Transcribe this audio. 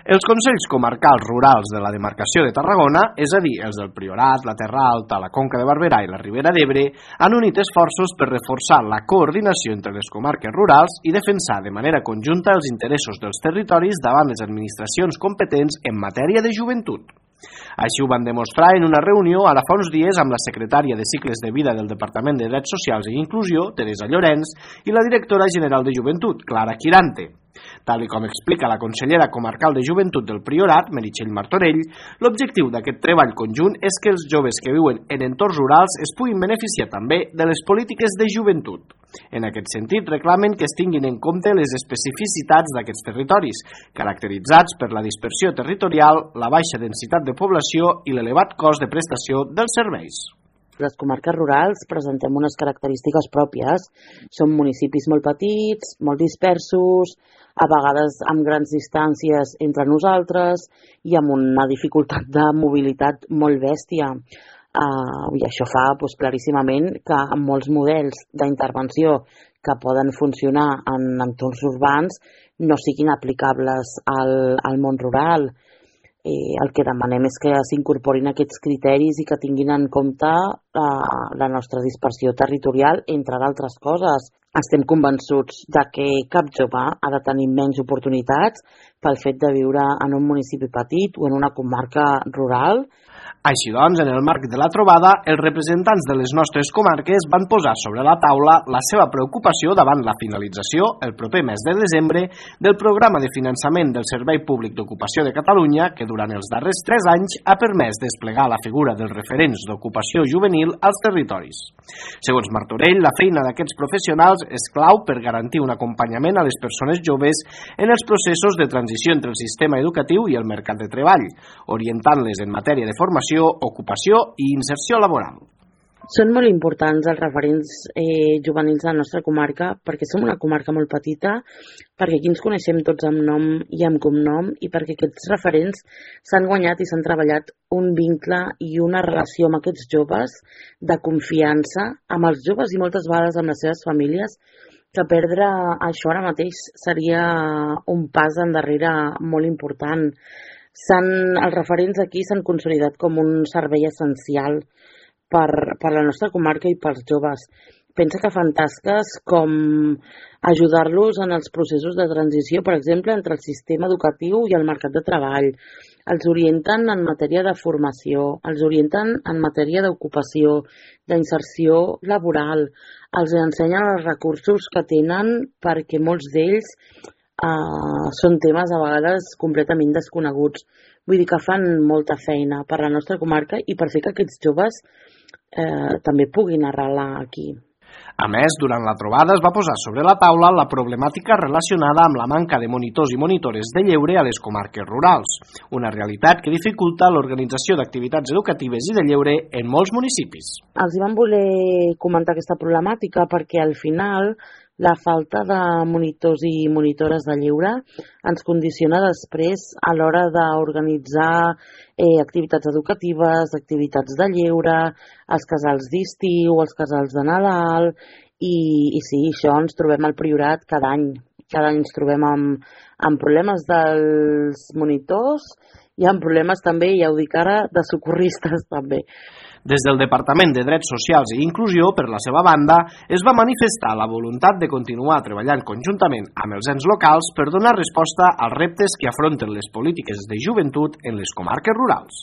Els Consells Comarcals Rurals de la demarcació de Tarragona, és a dir, els del Priorat, la Terra Alta, la Conca de Barberà i la Ribera d'Ebre, han unit esforços per reforçar la coordinació entre les comarques rurals i defensar de manera conjunta els interessos dels territoris davant les administracions competents en matèria de joventut. Així ho van demostrar en una reunió ara fa uns dies amb la secretària de Cicles de Vida del Departament de Drets Socials i Inclusió, Teresa Llorenç, i la directora general de Joventut, Clara Quirante. Tal com explica la consellera comarcal de Joventut del Priorat, Meritxell Martorell, l'objectiu d'aquest treball conjunt és que els joves que viuen en entorns rurals es puguin beneficiar també de les polítiques de joventut. En aquest sentit, reclamen que es tinguin en compte les especificitats d'aquests territoris, caracteritzats per la dispersió territorial, la baixa densitat de població i l'elevat cost de prestació dels serveis. Les comarques rurals presentem unes característiques pròpies. Són municipis molt petits, molt dispersos, a vegades amb grans distàncies entre nosaltres i amb una dificultat de mobilitat molt bèstia. I això fa claríssimament que amb molts models d'intervenció que poden funcionar en entorns urbans no siguin aplicables al món rural. El que demanem és que s'incorporin aquests criteris i que tinguin en compte la nostra dispersió territorial, entre d'altres coses. Estem convençuts de que cap jove ha de tenir menys oportunitats pel fet de viure en un municipi petit o en una comarca rural. Així doncs, en el marc de la trobada, els representants de les nostres comarques van posar sobre la taula la seva preocupació davant la finalització, el proper mes de desembre, del programa de finançament del Servei Públic d'Ocupació de Catalunya, que durant els darrers 3 anys ha permès desplegar la figura dels referents d'ocupació juvenil als territoris. Segons Martorell, la feina d'aquests professionals és clau per garantir un acompanyament a les persones joves en els processos de transició entre el sistema educatiu i el mercat de treball, orientant-les en matèria de formació, ocupació i inserció laboral. Són molt importants els referents juvenils de la nostra comarca perquè som una comarca molt petita, perquè aquí ens coneixem tots amb nom i amb cognom i perquè aquests referents s'han guanyat i s'han treballat un vincle i una relació amb aquests joves de confiança amb els joves i moltes vegades amb les seves famílies, que perdre això ara mateix seria un pas endarrere molt important. Els referents aquí s'han consolidat com un servei essencial per la nostra comarca i pels joves. Pensa que fan tasques com ajudar-los en els processos de transició, per exemple, entre el sistema educatiu i el mercat de treball. Els orienten en matèria de formació, els orienten en matèria d'ocupació, d'inserció laboral, els ensenyen els recursos que tenen perquè molts d'ells són temes a vegades completament desconeguts. Vull dir que fan molta feina per la nostra comarca i per fer que aquests joves també puguin arrelar aquí. A més, durant la trobada es va posar sobre la taula la problemàtica relacionada amb la manca de monitors i monitores de lleure a les comarques rurals, una realitat que dificulta l'organització d'activitats educatives i de lleure en molts municipis. Els vam voler comentar aquesta problemàtica perquè al final la falta de monitors i monitores de lleure ens condiciona després a l'hora d'organitzar activitats educatives, activitats de lleure, els casals d'estiu, els casals de Nadal, i sí, això ens trobem al Priorat cada any. Cada any ens trobem amb problemes dels monitors i amb problemes també, ja ho dic ara, de socorristes també. Des del Departament de Drets Socials i Inclusió, per la seva banda, es va manifestar la voluntat de continuar treballant conjuntament amb els ens locals per donar resposta als reptes que afronten les polítiques de joventut en les comarques rurals.